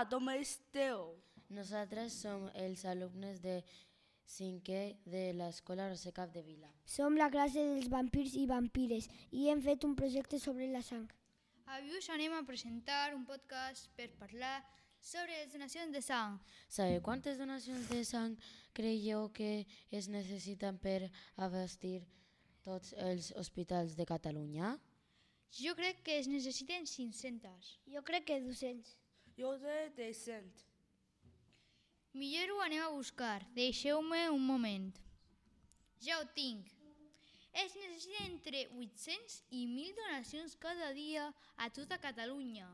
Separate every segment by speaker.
Speaker 1: com esteu?
Speaker 2: Nosaltres som els alumnes de 5è de l'Escola Roser Capdevila.
Speaker 3: Som la classe dels vampirs i vampires i hem fet un projecte sobre la sang.
Speaker 4: Avui us anem a presentar un podcast per parlar sobre les donacions de sang.
Speaker 2: Sabeu quantes donacions de sang creieu que es necessiten per abastir tots els hospitals de Catalunya?
Speaker 4: Jo crec que es necessiten 500.
Speaker 3: Jo crec que 200.
Speaker 1: Jo de 100.
Speaker 4: Millor ho anem a buscar. Deixeu-me un moment. Ja ho tinc. Es necessiten entre 800 i 1.000 donacions cada dia a tota Catalunya.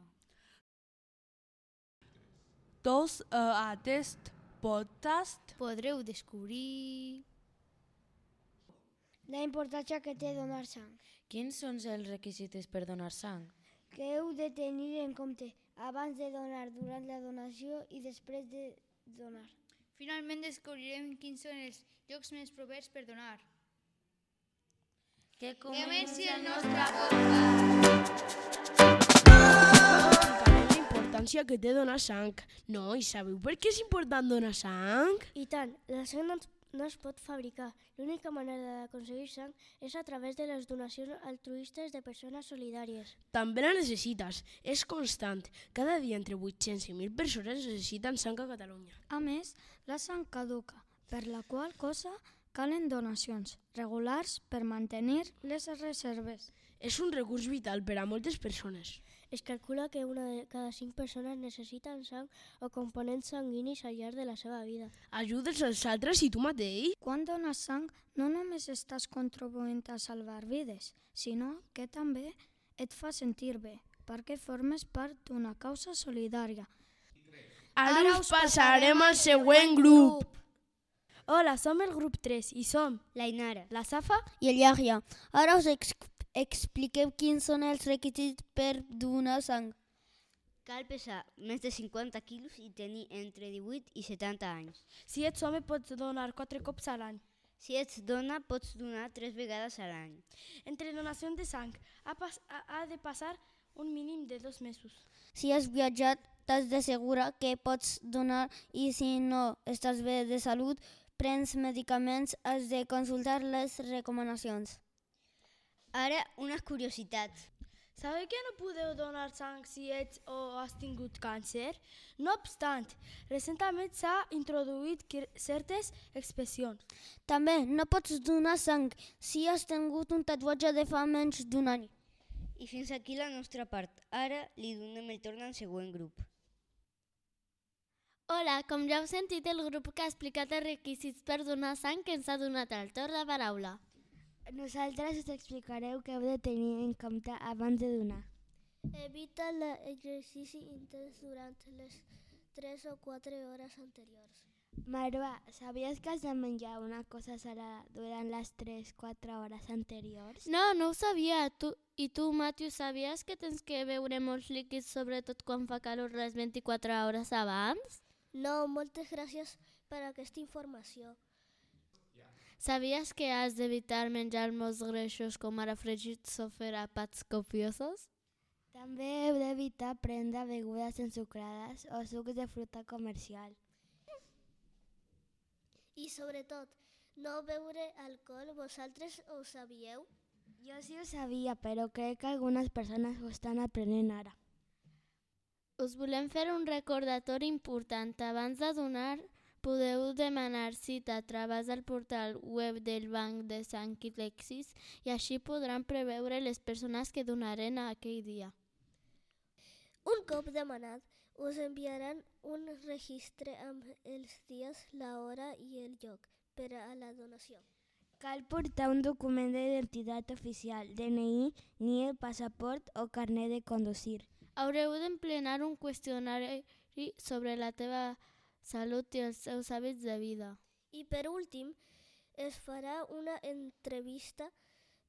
Speaker 1: Tots aquest podcast
Speaker 4: Podreu descobrir...
Speaker 3: La importància que té donar sang.
Speaker 2: Quins són els requisits per donar sang?
Speaker 3: Que heu de tenir en compte abans de donar, durant la donació i després de donar.
Speaker 4: Finalment descobrirem quins són els llocs més propers per donar.
Speaker 2: Que
Speaker 4: Comenci el nostre podcast!
Speaker 1: la importància que té donar sang. No, i sabeu per què és important donar sang?
Speaker 3: I tant, la sang no es pot fabricar. L'única manera d'aconseguir sang és a través de les donacions altruistes de persones solidàries.
Speaker 1: També la necessites, és constant. Cada dia entre 800 i 1.000 persones necessiten sang a Catalunya.
Speaker 5: A més, la sang caduca, per la qual cosa calen donacions regulars per mantenir les reserves.
Speaker 1: És un recurs vital per a moltes persones.
Speaker 3: Es calcula que una de cada 5 persones necessiten sang o components sanguinis al llarg de la seva vida.
Speaker 1: Ajudes als altres i tu mateix?
Speaker 5: Quan dones sang, no només estàs contribuint a salvar vides, sinó que també et fa sentir bé, perquè formes part d'una causa solidària.
Speaker 1: Ara us passarem al següent grup.
Speaker 3: Hola, som el grup 3 i som
Speaker 6: la Inara,
Speaker 3: la Safa
Speaker 6: i el Yahya. Ara us expliquem quins són els requisits per donar sang. Cal pesar més de 50 quilos i tenir entre 18 i 70 anys.
Speaker 3: Si ets home pots donar 4 cops a l'any.
Speaker 6: Si ets dona, pots donar 3 vegades a l'any.
Speaker 3: Entre donacions de sang ha de passar un mínim de 2 mesos.
Speaker 6: Si has viatjat, t'has d'assegurar que pots donar i si no estàs bé de salut, prens medicaments, has de consultar les recomanacions. Ara, una curiositat.
Speaker 3: Sabeu que no podeu donar sang si ets o has tingut càncer? No obstant, recentment s'ha introduït certes excepcions.
Speaker 6: També no pots donar sang si has tingut un tatuatge de fa menys d'un any. I fins aquí la nostra part. Ara li donem el torn al següent grup.
Speaker 7: Hola, com ja heu sentit, el grup que ha explicat els requisits per donar sang que ens ha donat el torn de paraula.
Speaker 3: Nosaltres us explicareu què heu de tenir en compte abans de donar.
Speaker 8: Evita l'exercici intens durant les 3 o 4 hores anteriors.
Speaker 3: Marva, sabies que has de menjar una cosa salada durant les 3-4 hores anteriors?
Speaker 7: No ho sabia. I tu, Matthew, sabies que tens que beure molts líquids, sobretot quan fa calor, les 24 hores abans?
Speaker 8: No, moltes gràcies per aquesta informació.
Speaker 7: Sabies que has d'evitar menjar molts greixos com ara fregits o fer àpats copiosos?
Speaker 3: També heu d'evitar prendre begudes ensucrades o sucs de fruita comercial.
Speaker 8: I sobretot, no beure alcohol, vosaltres ho sabíeu?
Speaker 3: Jo sí ho sabia, però crec que algunes persones ho estan aprenent ara.
Speaker 7: Us volem fer un recordatori important. Abans de donar, podeu demanar cita a través del portal web del Banc de Sang i Lexis i així podran preveure les persones que donaren aquell dia.
Speaker 8: Un cop demanat, us enviaran un registre amb els dies, l'hora i el lloc per a la donació.
Speaker 3: Cal portar un document d'identitat oficial, DNI, NIE, passaport o carnet de conduir.
Speaker 7: Haureu d'emplenar un qüestionari sobre la teva salut i els seus hàbits de vida.
Speaker 8: I per últim, es farà una entrevista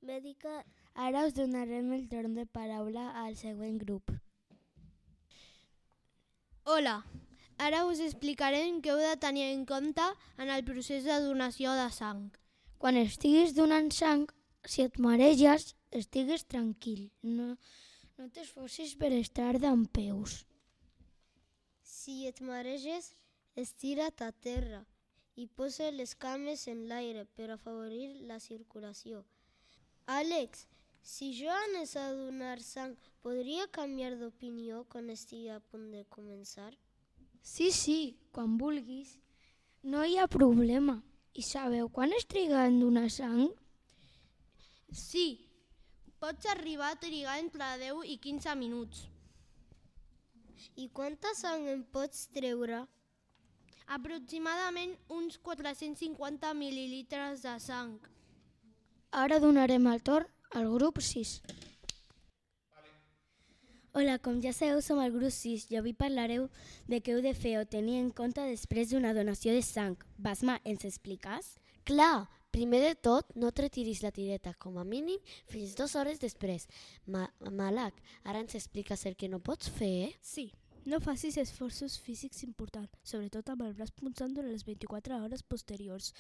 Speaker 8: mèdica.
Speaker 3: Ara us donarem el torn de paraula al següent grup.
Speaker 9: Hola, ara us explicarem què heu de tenir en compte en el procés de donació de sang.
Speaker 5: Quan estiguis donant sang, si et mareges, estigues tranquil. No t'esforcis per estar dempeus.
Speaker 9: Si et mareges, estira't a terra i posa les cames en l'aire per afavorir la circulació. Àlex, si jo anés a donar sang, podria canviar d'opinió quan estigui a punt de començar?
Speaker 3: Sí, quan vulguis. No hi ha problema. I sabeu quan es triga en donar sang?
Speaker 9: Sí, pots arribar a trigar entre 10 i 15 minuts. I quanta sang en pots treure? Aproximadament uns 450 mil·lilitres de sang.
Speaker 3: Ara donarem el torn al grup 6.
Speaker 10: Hola, com ja sabeu, som el grup 6 i avui parlareu de què heu de fer o tenir en compte després d'una donació de sang. Basma, ens expliques?
Speaker 11: Clar, primer de tot, no et retiris la tireta, com a mínim, fins 2 hores després. Malak, ara ens expliques el que no pots fer?
Speaker 1: Sí, no facis esforços físics importants, sobretot amb el braç punxant durant les 24 hores posteriors.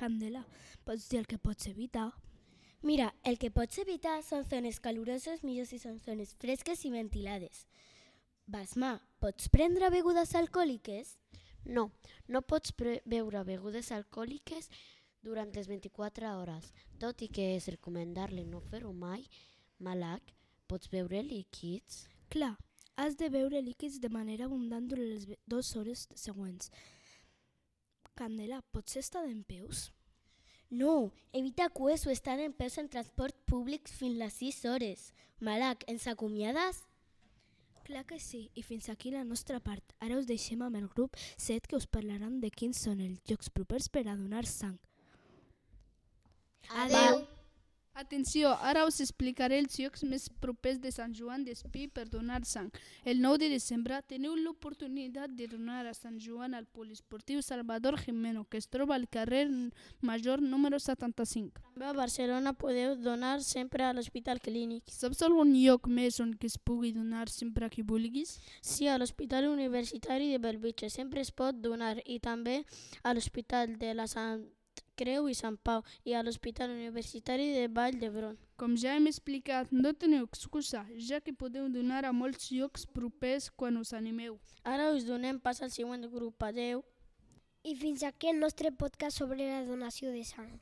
Speaker 1: Candela, pots dir el que pots evitar?
Speaker 10: Mira, el que pots evitar són zones caloroses, millor si són zones fresques i ventilades. Basma, pots prendre begudes alcohòliques?
Speaker 11: No, no pots beure begudes alcohòliques durant les 24 hores. Tot i que és recomendable no fer-ho mai, Malak, pots beure líquids?
Speaker 1: Clar, has de beure líquids de manera abundant durant les 2 hores següents. Candela, pots estar dempeus?
Speaker 10: No, evita cues o estar en peus en transport públic fins les 6 hores. Malak, ens acomiades?
Speaker 1: Clar que sí, i fins aquí la nostra part. Ara us deixem amb el grup 7 que us parlaran de quins són els llocs propers per a donar sang.
Speaker 9: Adeu!
Speaker 12: Atenció, ara us explicaré els llocs més propers de Sant Joan d'Espí per donar sang. El 9 de desembre teniu l'oportunitat de donar a Sant Joan al poliesportiu Salvador Jimeno, que es troba al carrer Major número 75.
Speaker 7: També a Barcelona podeu donar sempre a l'Hospital Clínic.
Speaker 12: Saps algun lloc més on es pugui donar sempre que vulguis?
Speaker 7: Sí, a l'Hospital Universitari de Bellvitge sempre es pot donar i també a l'Hospital de la Sant Creu i Sant Pau i a l'Hospital Universitari de Vall d'Hebron.
Speaker 12: Com ja hem explicat, no teniu excusa, ja que podeu donar a molts llocs propers quan us animeu.
Speaker 7: Ara us donem pas al següent grup. Adeu!
Speaker 9: I fins aquí el nostre podcast sobre la donació de sang.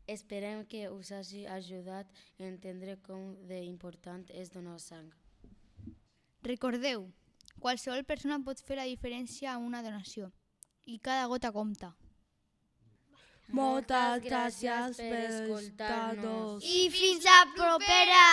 Speaker 2: Esperem que us hagi ajudat a entendre com d'important és donar sang.
Speaker 4: Recordeu, qualsevol persona pot fer la diferència a una donació i cada gota compta.
Speaker 1: Moltes gràcies per escoltar-nos.
Speaker 9: I fins a propera!